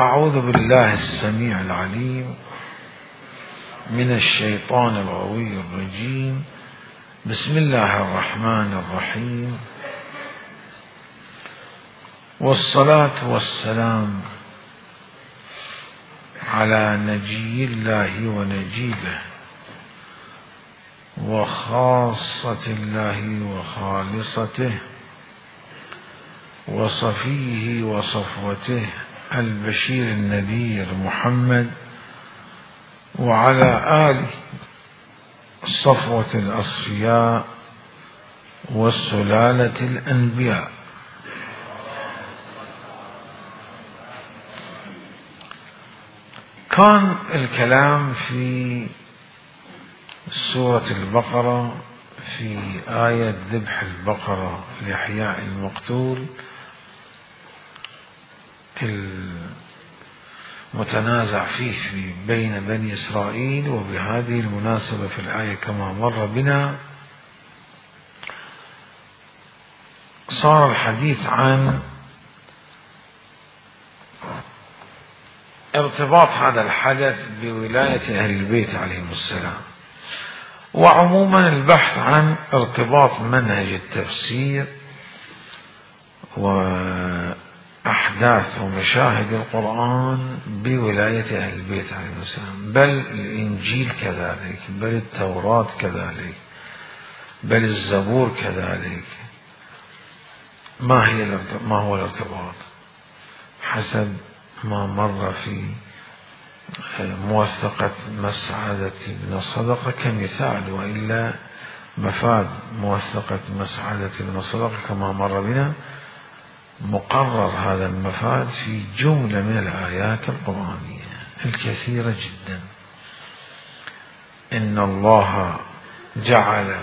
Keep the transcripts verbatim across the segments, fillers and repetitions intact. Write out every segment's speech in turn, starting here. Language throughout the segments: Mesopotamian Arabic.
أعوذ بالله السميع العليم من الشيطان الغوي الرجيم. بسم الله الرحمن الرحيم، والصلاة والسلام على نجي الله ونجيبه وخاصة الله وخالصته وصفيه وصفوته البشير النذير محمد، وعلى آله الصفوة الأصفياء والسلالة الأنبياء. كان الكلام في سورة البقرة في آية ذبح البقرة لإحياء المقتول المتنازع فيه بين بني إسرائيل، وبهذه المناسبة في الآية كما مر بنا صار الحديث عن ارتباط هذا الحدث بولاية أهل البيت عليهم السلام، وعموما البحث عن ارتباط منهج التفسير وأحداث ومشاهد القرآن بولاية أهل البيت عليهم السلام، بل الإنجيل كذلك، بل التوراة كذلك، بل الزبور كذلك. ما هي ما هو الارتباط حسب ما مر في موثقة مسعدة بن الصدقة كمثال، وإلا مفاد موثقة مسعدة بن الصدقة كما مر بنا مقرر هذا المفاد في جملة من الآيات القرآنية الكثيرة جدا. إن الله جعل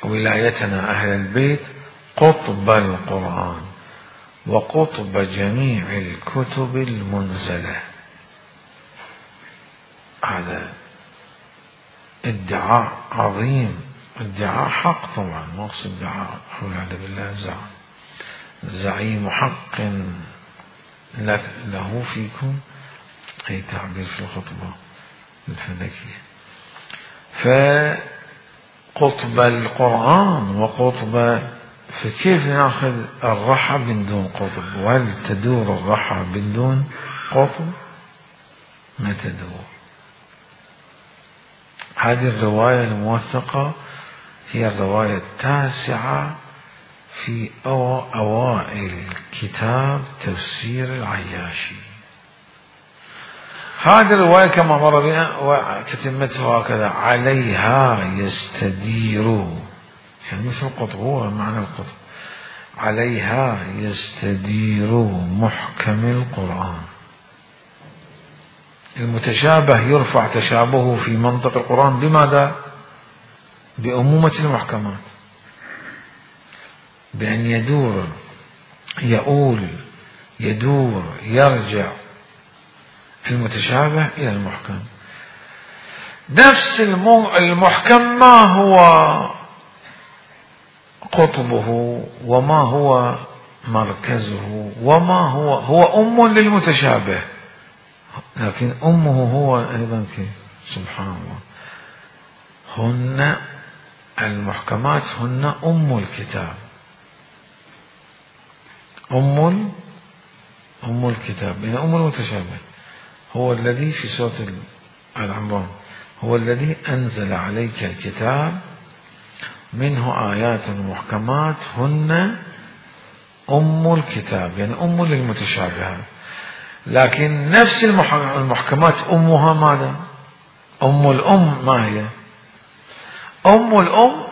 ولايتنا أهل البيت قطب القرآن وقطب جميع الكتب المنزلة. هذا ادعاء عظيم، ادعاء حق طبعا، ما اقصد ادعاء والعياذ بالله زعم، زعيم حق له فيكم، أي تعبير في الخطبة الفلكية. فقطب القرآن وقطب، فكيف ناخذ الرحى من دون قطب؟ وهل تدور الرحى من دون قطب؟ ما تدور. هذه الرواية الموثقة هي الرواية التاسعة في أوائل كتاب تفسير العياشي. هذه الرواية كما مر بنا وتتمتها هكذا: عليها يستدير، يعني مثل القطب، هو معنى القطب. عليها يستدير محكم القرآن. المتشابه يرفع تشابهه في منطق القرآن بماذا؟ بأمومة المحكمات، بأن يدور يؤول يدور يرجع المتشابه إلى المحكم. نفس المحكم ما هو قطبه وما هو مركزه وما هو هو أم للمتشابه، لكن أمه هو أيضا كيف؟ سبحان الله. هن المحكمات هن أم الكتاب، أم أم الكتاب، يعني أم المتشابه. هو الذي في سورة العمران هو الذي أنزل عليك الكتاب منه آيات محكمات هن أم الكتاب، يعني أم للمتشابهات. لكن نفس المحكمات أمها ماذا؟ أم الأم ما هي؟ أم الأم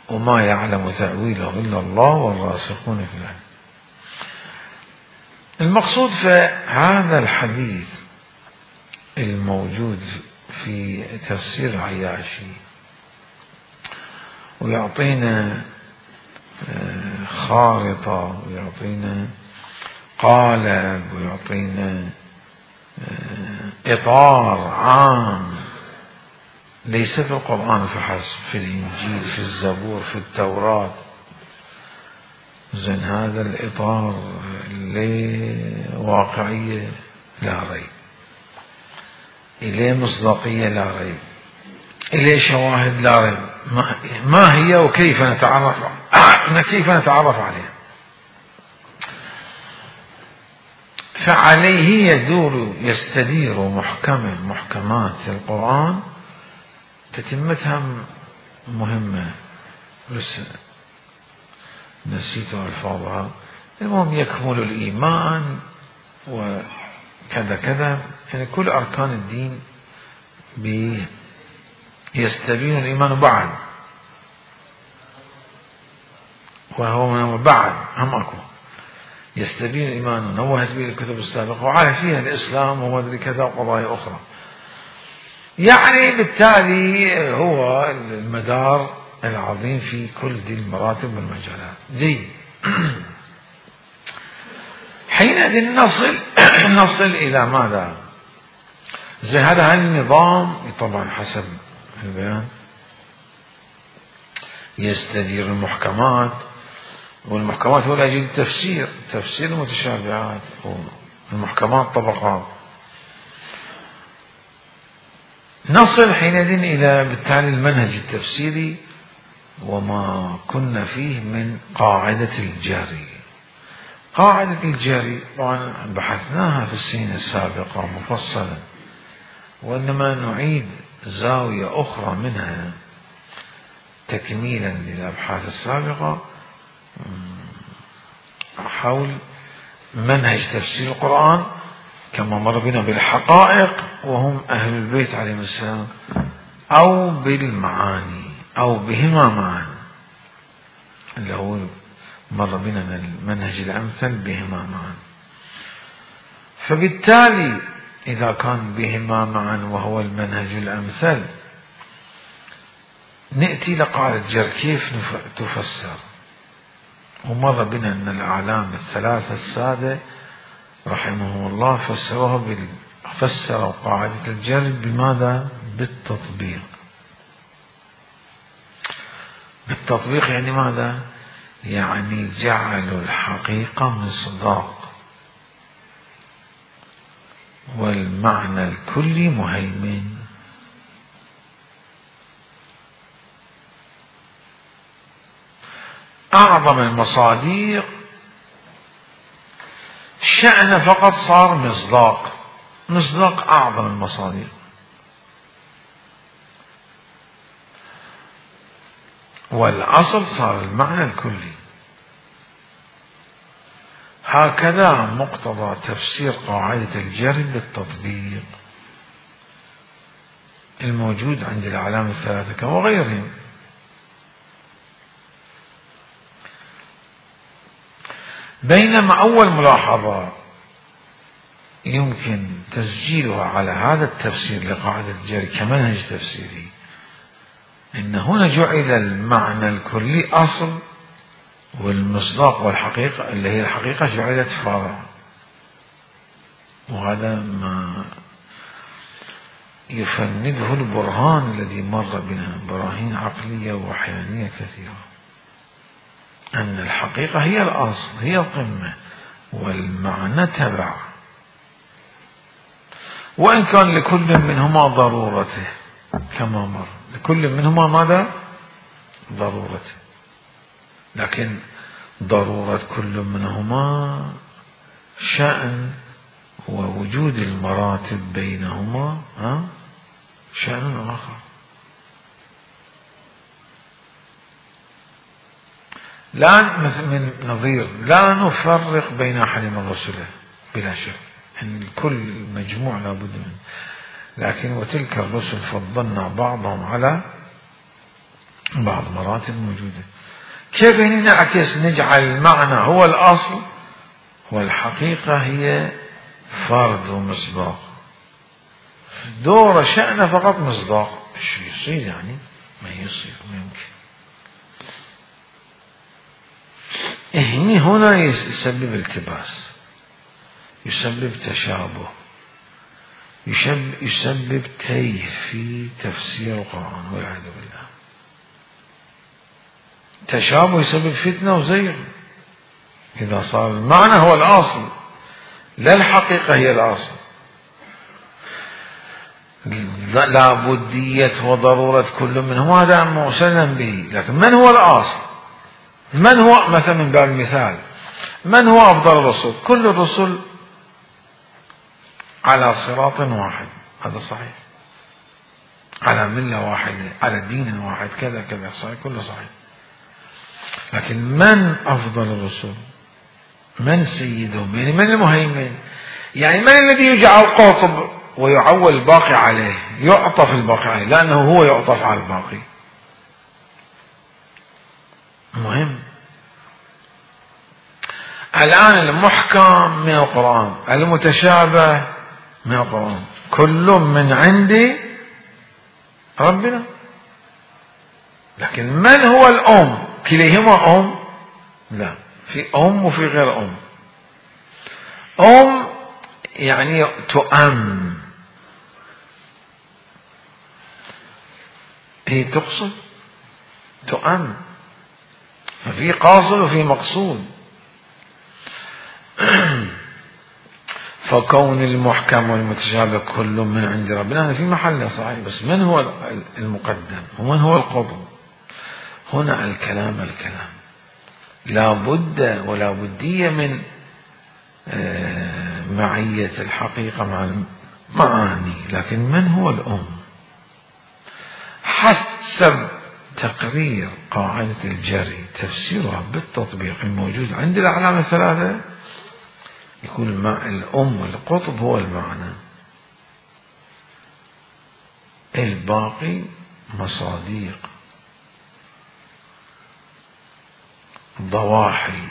وما يعلم تأويله إلا الله والراسخون في العلم. المقصود في هذا الحديث الموجود في تفسير عياشي ويعطينا خارطة ويعطينا قالب ويعطينا إطار عام، ليس في القرآن فحسب، في الإنجيل، في الزبور، في التوراة، زين هذا الإطار لواقعية لا ريب، إليه مصداقية لا ريب، إليه شواهد لا ريب. ما هي وكيف نتعرف كيف نتعرف عليها؟ فعليه يدور يستدير محكم محكمات القرآن، تتمتها مهمة بس نسيت ألفاظها. المهم يكمل الإيمان وكذا كذا، يعني كل أركان الدين يستبين الإيمان بعد، وهو بعد هم أكو يستبين الإيمان نوهت به الكتب السابقة وعلى فيها الإسلام ومدري كذا وقضايا أخرى. يعني بالتالي هو المدار العظيم في كل دي المراتب والمجالات. جيد. حينئذ نصل نصل إلى ماذا؟ زي هذا النظام طبعا حسب البيان يستدير المحكمات، والمحكمات هو لأجل التفسير، تفسير المتشابهات، والمحكمات طبقات. نصل حينئذ إلى بالتالي المنهج التفسيري وما كنا فيه من قاعدة الجري. قاعدة الجري طبعا بحثناها في السنين السابقة مفصلا، وإنما نعيد زاوية أخرى منها تكميلا للأبحاث السابقة حول منهج تفسير القرآن كما مر بنا بالحقائق وهم أهل البيت عليهم السلام، أو بالمعاني أو بهما معا، اللي هو مر بنا من المنهج الأمثل بهما معا. فبالتالي إذا كان بهما معا وهو المنهج الأمثل، نأتي لقاعدة جر كيف تفسر. ومر بنا أن الأعلام الثلاثة السادة رحمهم الله فسروها بال... فسروا قاعدة الجر بماذا؟ بالتطبيق. بالتطبيق يعني ماذا؟ يعني جعلوا الحقيقة مصداق والمعنى الكلي مهيمن. أعظم المصادق شأن فقط صار مصداق، مصداق أعظم المصادق. والأصل صار المعنى الكلي. هكذا مقتضى تفسير قاعدة الجر بالتطبيق الموجود عند الأعلام الثلاثة وغيرهم. بينما أول ملاحظة يمكن تسجيلها على هذا التفسير لقاعدة الجر كمنهج تفسيري، إن هنا جعل المعنى الكلي أصل، والمصداق والحقيقة اللي هي الحقيقة جعلت فرع. وهذا ما يفنده البرهان الذي مر بنا، براهين عقلية وحيانية كثيرة، أن الحقيقة هي الأصل، هي القمة، والمعنى تبع، وإن كان لكل منهما ضرورته كما مر، لكل منهما ماذا؟ ضرورته، لكن ضرورة كل منهما شأن، ووجود المراتب بينهما ها شأن آخر. لا مثل من نظير لا نفرق بين أحد من رسله بلا شك، أن الكل مجموع لابد منه، لكن وتلك الرسل فضلنا بعضهم على بعض مراتب موجودة. كيف نعكس نجعل المعنى هو الأصل والحقيقة هي فرد ومصداق؟ دور شأن فقط مصداق، شو يصير يعني؟ ما يصير، ما يمكن. هني هنا يسبب التباس، يسبب تشابه، يسبب, يسبب تيه في تفسير القرآن والعياذ بالله. تشابه يسبب فتنة وزيغ، إذا صار المعنى هو الأصل لا الحقيقة هي الأصل. لا بدية وضرورة كل منهم هذا مسلم به، لكن من هو الأصل؟ من هو مثلا من باب المثال من هو أفضل الرسل؟ كل الرسل على صراط واحد، هذا صحيح، على ملة واحدة، على دين واحد، كذا كذا صحيح، كله صحيح. لكن من أفضل الرسل؟ من سيدهم؟ يعني من المهيمن؟ يعني من الذي يجعل قاطب ويعول الباقي عليه، يعطف الباقي عليه، لأنه هو يعطف على الباقي. مهم. الآن المحكم من القرآن، المتشابه من القرآن، كل من عند ربنا. لكن من هو الأم؟ كليهما أم؟ لا، في أم وفي غير أم. أم يعني تؤم، هي تقصد تؤم، ففي قاصد وفي مقصود. فكون المحكم والمتشابه كل من عند ربنا هذا في محله صحيح، بس من هو المقدم ومن هو القطب؟ هنا الكلام الكلام لا بد ولا بدية من معية الحقيقة مع المعاني. لكن من هو الأم؟ حسب تقرير قاعدة الجري تفسيرها بالتطبيق الموجود عند الأعلام الثلاثة، يكون مع الأم القطب هو المعنى، الباقي مصاديق ضواحي.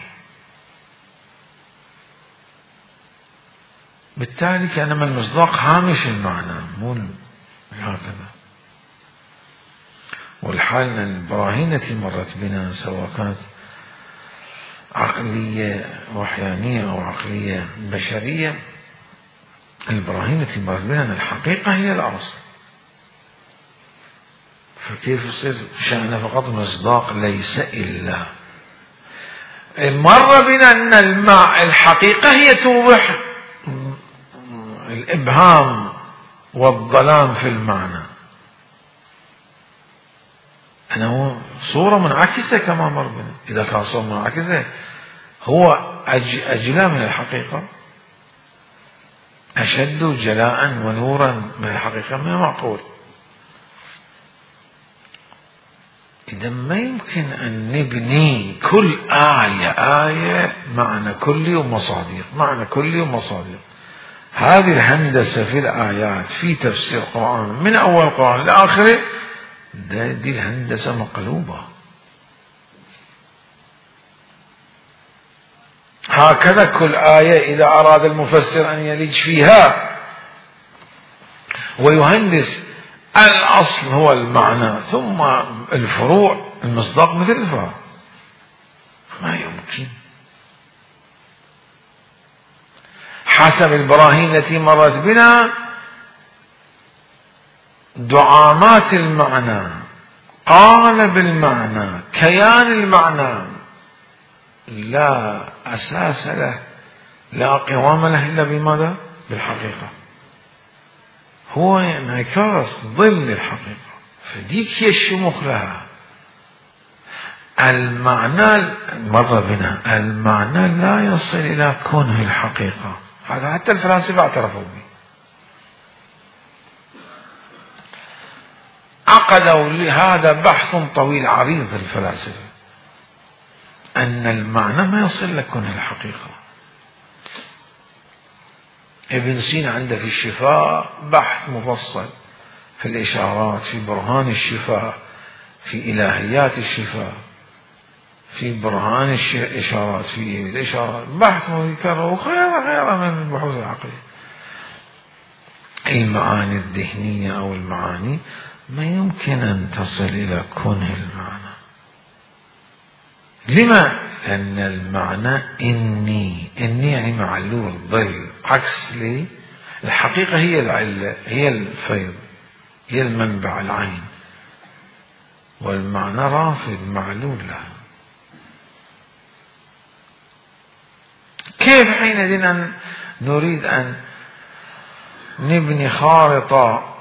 بالتالي كان من المصداق هامش المعنى، مو هكذا. والحال أن البراهين التي مرت بنا سواء كانت عقلية وحيانية أو عقلية بشرية، البراهين التي مرت بنا أن الحقيقة هي الأصل، فكيف يصير شأن فقط مصداق ليس إلا. مر بنا أن الماء الحقيقة هي توضح الإبهام والظلام في المعنى، أنه صورة منعكسة كما مر بنا. إذا كان صورة منعكسة هو أجلى من الحقيقة، أشد جلاء ونورا من الحقيقة، ما معقول. إذا ما يمكن أن نبني كل آية آية معنى كلي ومصادر، معنى كلي ومصادر. هذه الهندسة في الآيات في تفسير القرآن من أول القرآن لآخره، دي الهندسة مقلوبة. هكذا كل آية إذا أراد المفسر أن يلج فيها ويهندس، الأصل هو المعنى ثم الفروع المصداق مثل الفرع، ما يمكن. حسب البراهين التي مرت بنا دعامات المعنى، قالب المعنى، كيان المعنى لا أساس له، لا قوام له إلا بماذا؟ بالحقيقة. هو انعكاس ظل الحقيقة، فديك هي الشموخ لها. المعنى مر بنا، المعنى لا يصل إلى كونه الحقيقة، هذا حتى الفلاسفة اعترفوا به. عقدوا لهذا بحث طويل عريض الفلاسفة، أن المعنى ما يصل لكونه الحقيقة. ابن سينا عنده في الشفاء بحث مفصل في الإشارات، في برهان الشفاء، في إلهيات الشفاء، في برهان الإشارات، في الإشارات، بحث مذكر وغيره غيره من البحوث العقلية. المعاني الذهنية أو المعاني ما يمكن أن تصل إلى كونه المعنى. لما؟ لأن المعنى إني، إني يعني معلول ظل، عكس لي الحقيقة هي العلة، هي الفيض، هي المنبع العين، والمعنى رافض معلول له. كيف حينئذ أن نريد أن نبني خارطة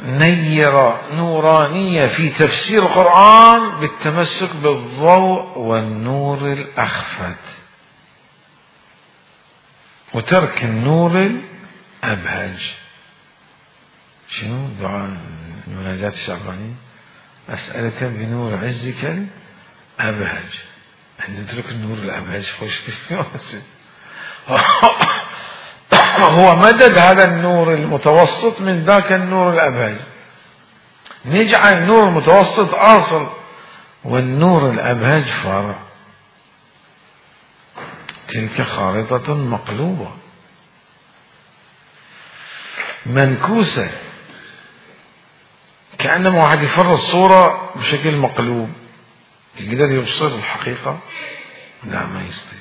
نيرة نورانية في تفسير القرآن بالتمسك بالضوء والنور الأخفت وترك النور الأبهج؟ شنو دعاء المناجاة الشعبانية؟ أسألك بنور عزك الأبهج، أن نترك النور الأبهج خوش هو مدد هذا النور المتوسط من ذاك النور الأبهج، نجعل النور المتوسط أصل والنور الأبهج فرع. تلك خارطة مقلوبة منكوسة، كأنما واحد يفرض الصورة بشكل مقلوب، يقدر يبصر الحقيقة؟ لا، ما يستطيع.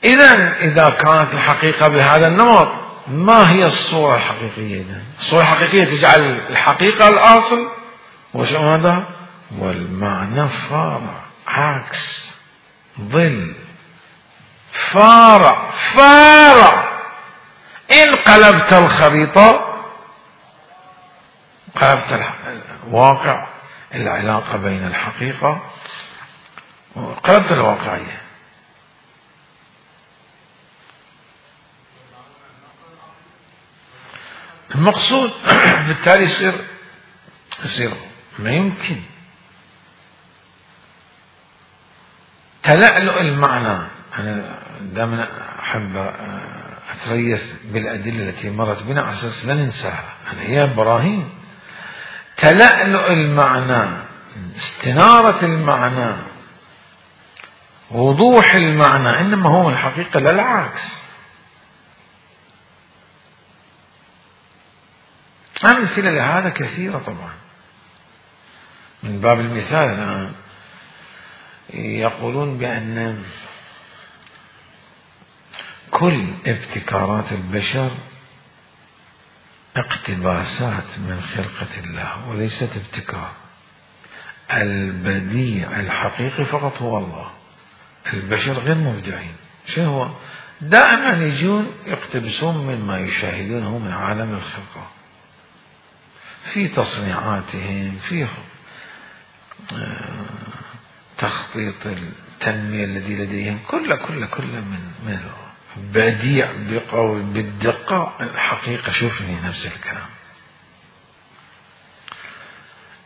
إذن إذا كانت الحقيقة بهذا النمط، ما هي الصورة الحقيقية؟ إذن الصورة الحقيقية تجعل الحقيقة الأصل وشو هذا؟ والمعنى فارع، عكس، ظل، فارع فارع. إن قلبت الخريطة قلبت الواقع، العلاقة بين الحقيقة وقلبت الواقعية. المقصود بالتالي يصير يصير ما يمكن تلألؤ المعنى. أنا دائما أحب أتريث بالأدلة التي مرت بنا على أساس لا ننساها، هي براهين. تلألؤ المعنى، استنارة المعنى، وضوح المعنى، إنما هو الحقيقة لا العكس. أمثلة لهذا كثيرة طبعا. من باب المثال الآن يقولون بأن كل ابتكارات البشر اقتباسات من خلقة الله وليست ابتكار. البديع الحقيقي فقط هو الله، البشر غير مبدعين. شنو هو؟ دائما يجون يقتبسون مما يشاهدونه من عالم الخلقة في تصنيعاتهم، في تخطيط التنمية الذي لديهم، كل كل كل من من بديع بقول بالدقة. الحقيقة شوفني نفس الكلام،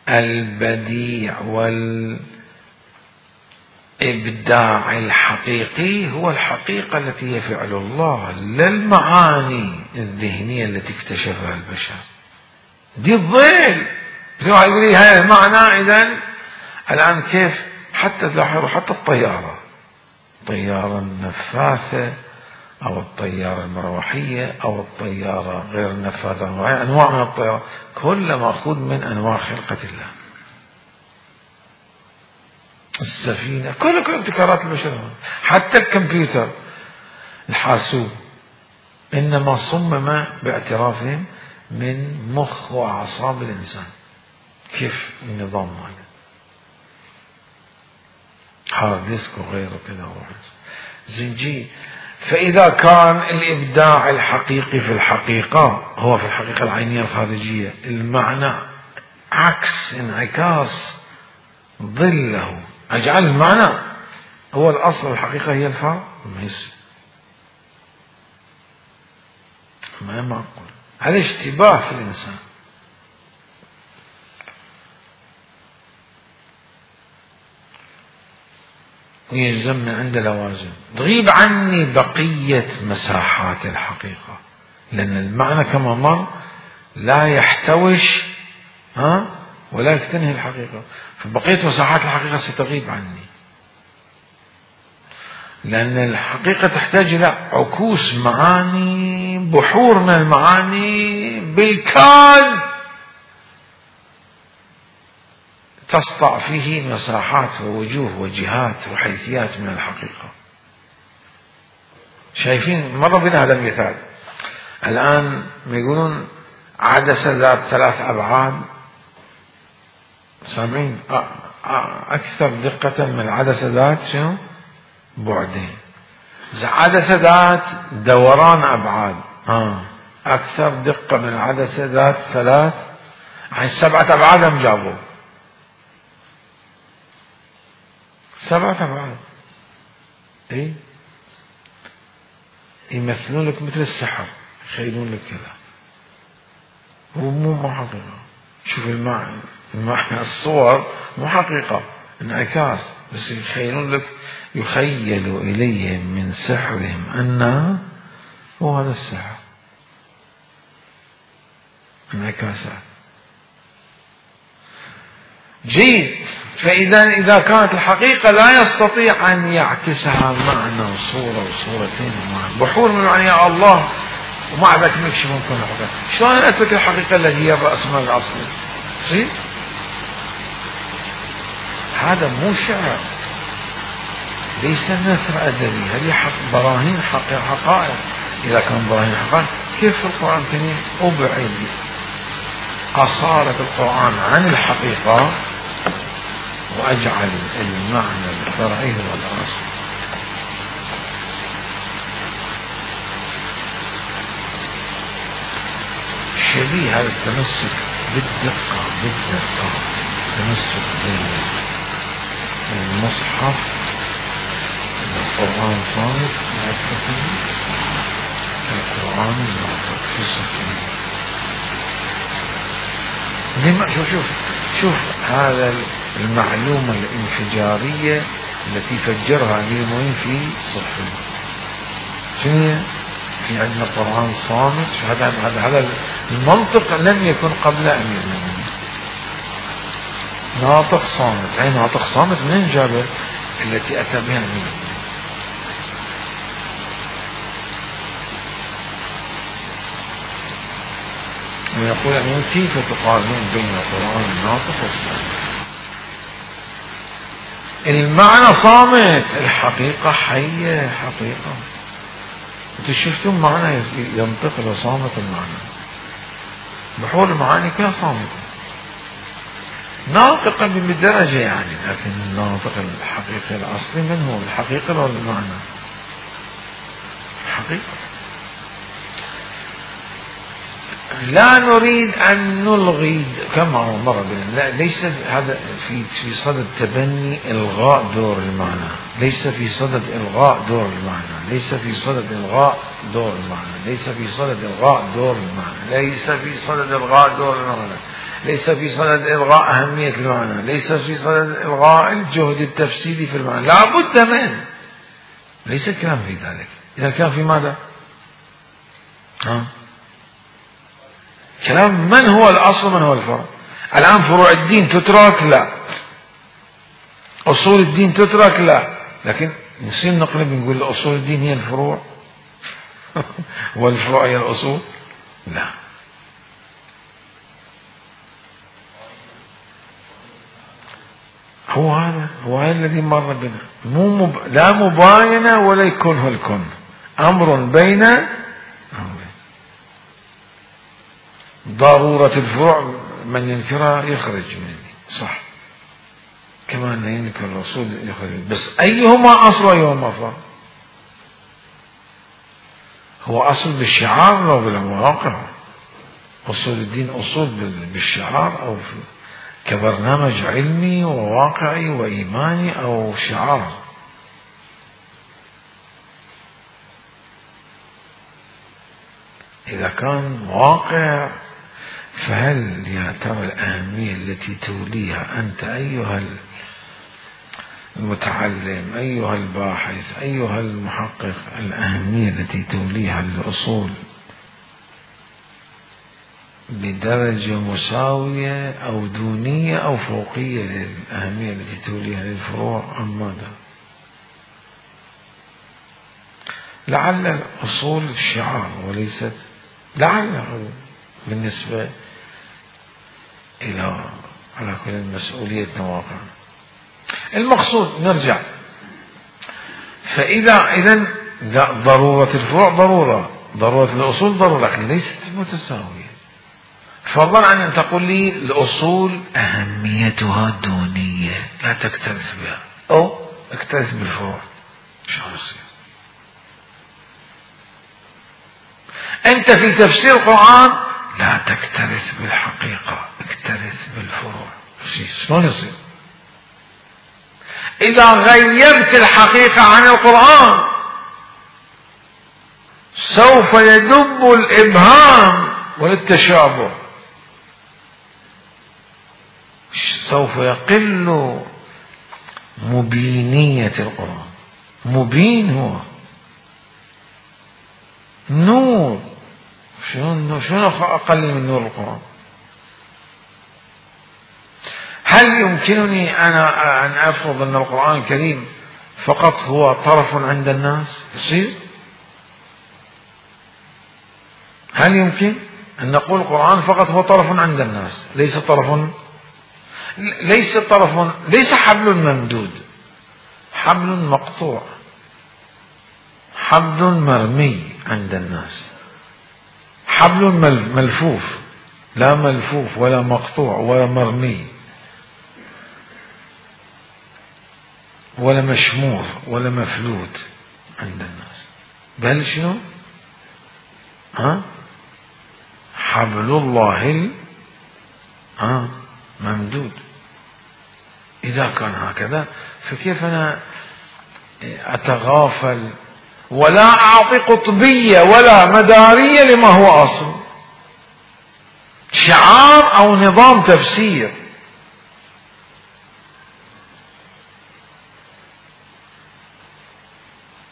البديع والإبداع الحقيقي هو الحقيقة التي هي فعل الله، لا المعاني الذهنية التي اكتشفها البشر. دي الظل يقول لي هذا المعنى. إذن الآن كيف حتى تلاحظوا حتى الطيارة، الطيارة النفاثة أو الطيارة المروحية أو الطيارة غير النفاثة، أنواع من الطيارة كلها مأخوذ من أنواع خلقة الله. السفينة كل كل ابتكارات البشر، حتى الكمبيوتر الحاسوب إنما صمم باعترافهم من مخ وأعصاب الإنسان. كيف النظام هذا؟ هارد ديسك وغيره كذا زنجي. فإذا كان الإبداع الحقيقي في الحقيقة هو في الحقيقة العينية الخارجية، المعنى عكس انعكاس ظله، أجعل المعنى هو الأصل، الحقيقة هي الفرع، ما يصير، ما معقول. هذا اشتباه في الإنسان. ويلزم من عند لوازم تغيب عني بقية مساحات الحقيقة، لأن المعنى كما مر لا يحتوش ها ولا يكتنهي الحقيقة، فبقية مساحات الحقيقة ستغيب عني، لأن الحقيقة تحتاج إلى عكوس معاني، بحور من المعاني بالكاد تسطع فيه مساحات ووجوه وجهات وحيثيات من الحقيقة. شايفين مر بنا هذا المثال الآن، يقولون عدسة ذات ثلاث أبعاد، سامعين؟ أكثر دقة من العدسة ذات شنو؟ بعدين. عدسة ذات دوران أبعاد آه. أكثر دقة من العدسة ذات ثلاث عن سبعة أبعاد هم جابوا سبعة أبعاد. إيه يمثلون لك مثل السحر، يخيلون لك كذا، هو مو مو حقيقة. شوف المعنى، المعنى الصور مو حقيقة، انعكاس، بس يخيلون لك، يخيل إليهم من سحرهم أنها هو هذا السحر، انعكاسات. جيد. فإذا إذا كانت الحقيقة لا يستطيع أن يعكسها معنى وصورة وصورتين ومعنى بحور من معنى يا الله، ومع ذلك نكشف ممكن الحقيقة. شلون أترك الحقيقة التي هي الرأس مال الأصلي؟ صحيح؟ هذا مو شعر، ليس نثر أدبي، هذه حق براهين حقائق. إذا كان براهين حقائق كيف في القرآن الكريم أبعد أصالة القرآن عن الحقيقة وأجعل المعنى الفرعي هو الأصل. شبيه هذا التمسك بالدقة بالدقة التمسك بالمصحف القرآن صامت القرآن الناطق في صفحة. لما شوف شوف شوف هذا المعلومة الانفجارية التي فجرها أمير المؤمنين في صفحة. شنو في عندنا قرآن صامت؟ هذا هذا هذا المنطق لم يكن قبل أمير المؤمنين. ناطق صامت، أي ناطق صامت من جابه التي أتى بها أمير المؤمنين. ويقول أن كيف تقارنون بين القرآن الناطق والصامت؟ المعنى صامت، الحقيقة حية حقيقة. انتوا شفتم معنى ينطق لو صامت المعنى، بحور المعاني كلها صامتة ناطقة بدرجة يعني، لكن الناطق الحقيقي الأصلي من هو؟ الحقيقة ولا المعنى؟ الحقيقة. لا نريد أن نلغي كما مر بنا، لا ليس هذا في في صدد تبني إلغاء دور المعنى، ليس في صدد إلغاء دور المعنى، ليس في صدد إلغاء دور المعنى، ليس في صدد إلغاء دور المعنى، ليس في صدد إلغاء دور المعنى، ليس في صدد إلغاء أهمية المعنى، ليس في صدد إلغاء الجهد التفسيري في المعنى، لا بد منه. ليس الكلام في ذلك. إذا كان في ماذا؟ ها؟ كلام من هو الأصل من هو الفرع. الآن فروع الدين تترك؟ لا. أصول الدين تترك؟ لا. لكن نصير نقلب نقول أصول الدين هي الفروع والفروع هي الأصول؟ لا. هو هذا هو هذا الذي مر بنا، مو مب... لا مباينة ولا يكون الكن، أمر بين أمرين. ضرورة الفروع من ينكرها يخرج من دي، صح، كما أن ينكر الرسول يخرج، بس أيهما أصل وأيهما فرع؟ هو أصل بالشعار أو بالواقع؟ أصول الدين أصول بالشعار أو كبرنامج علمي وواقعي وإيماني أو شعار؟ إذا كان واقع فهل يا ترى الأهمية التي توليها أنت أيها المتعلم أيها الباحث أيها المحقق، الأهمية التي توليها للأصول بدرجة مساوية أو دونية أو فوقية للأهمية التي توليها للفروع أم ماذا؟ لعل الأصول الشعار وليست، لعل بالنسبة إلى على كل مسؤولية واقع. المقصود نرجع، فإذا إذن ضرورة الفروع ضرورة، ضرورة الأصول ضرورة، لكن ليست متساوية. فضلا عن أن تقول لي الأصول أهميتها دونية لا تكترث بها، أو اكترث بالفروع، شلون يصير؟ أنت في تفسير القرآن لا تكترث بالحقيقة، اكترث بالفروع. شلون يصير؟ إذا غيرت الحقيقة عن القرآن سوف يدب الإبهام والتشابه، سوف يقل مبينية القرآن. مبين هو نور، شنو شنو أقل من نور القرآن؟ هل يمكنني أنا أن أفرض أن القرآن الكريم فقط هو طرف عند الناس؟ يصير؟ هل يمكن أن نقول القرآن فقط هو طرف عند الناس، ليس طرف ليس طرف ليس حبل ممدود، حبل مقطوع، حبل مرمي عند الناس، حبل ملفوف، لا ملفوف ولا مقطوع ولا مرمي ولا مشمور ولا مفلوت عند الناس، بل شنو؟ ها؟ حبل الله ها ممدود. إذا كان هكذا فكيف أنا أتغافل ولا أعطي قطبية ولا مدارية لما هو أصل، شعار أو نظام تفسير؟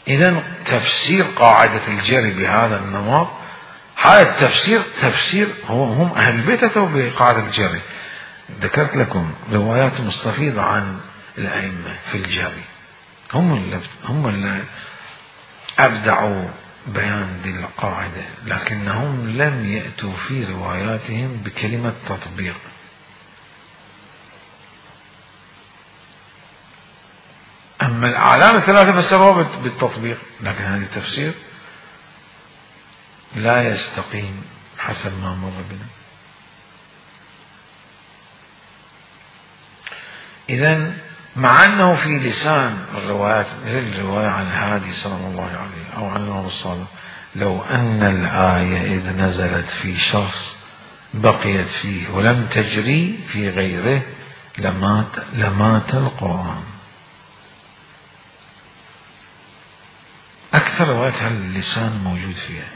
إذن تفسير قاعدة الجري بهذا النمط، هذا التفسير تفسير هو هم أهل البيت أتوا بقاعدة الجري. ذكرت لكم روايات مستفيضة عن الأئمة في الجري، هم اللي هم اللي أبدعوا بيان ذي القاعدة، لكنهم لم يأتوا في رواياتهم بكلمة تطبيق. أما الأعلام الثلاثة فسروها بالتطبيق، لكن هذا التفسير لا يستقيم حسب ما مر بنا. إذن مع أنه في لسان الروايات مثل الرواية عن الهادي صلى الله عليه أو عن الإمام الصادق، لو أن الآية إذ نزلت في شخص بقيت فيه ولم تجري في غيره لمات, لمات القرآن. أكثر روايات هاللسان موجود فيها.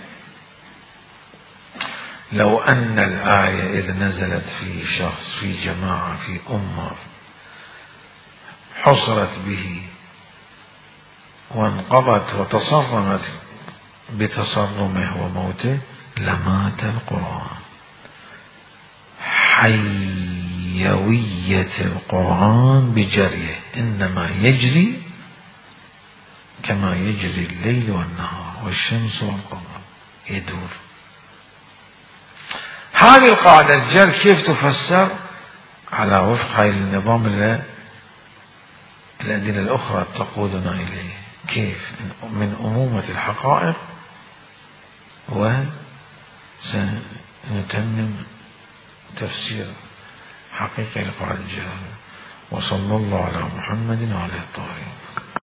لو أن الآية إذ نزلت في شخص في جماعة في أمة حصرت به وانقضت وتصرمت بتصرمه وموته لمات القرآن. حيوية القرآن بجريه، إنما يجري كما يجري الليل والنهار والشمس والقمر، يدور. هذه القاعدة الجر كيف تفسر على وفق هذا النظام اللي الأدلة الأخرى تقودنا إليه؟ كيف من أمومة الحقائق وسنتمم تفسير حقيقي لقاعدة الجهل. وصلى الله على محمد وعلى الطاهرين.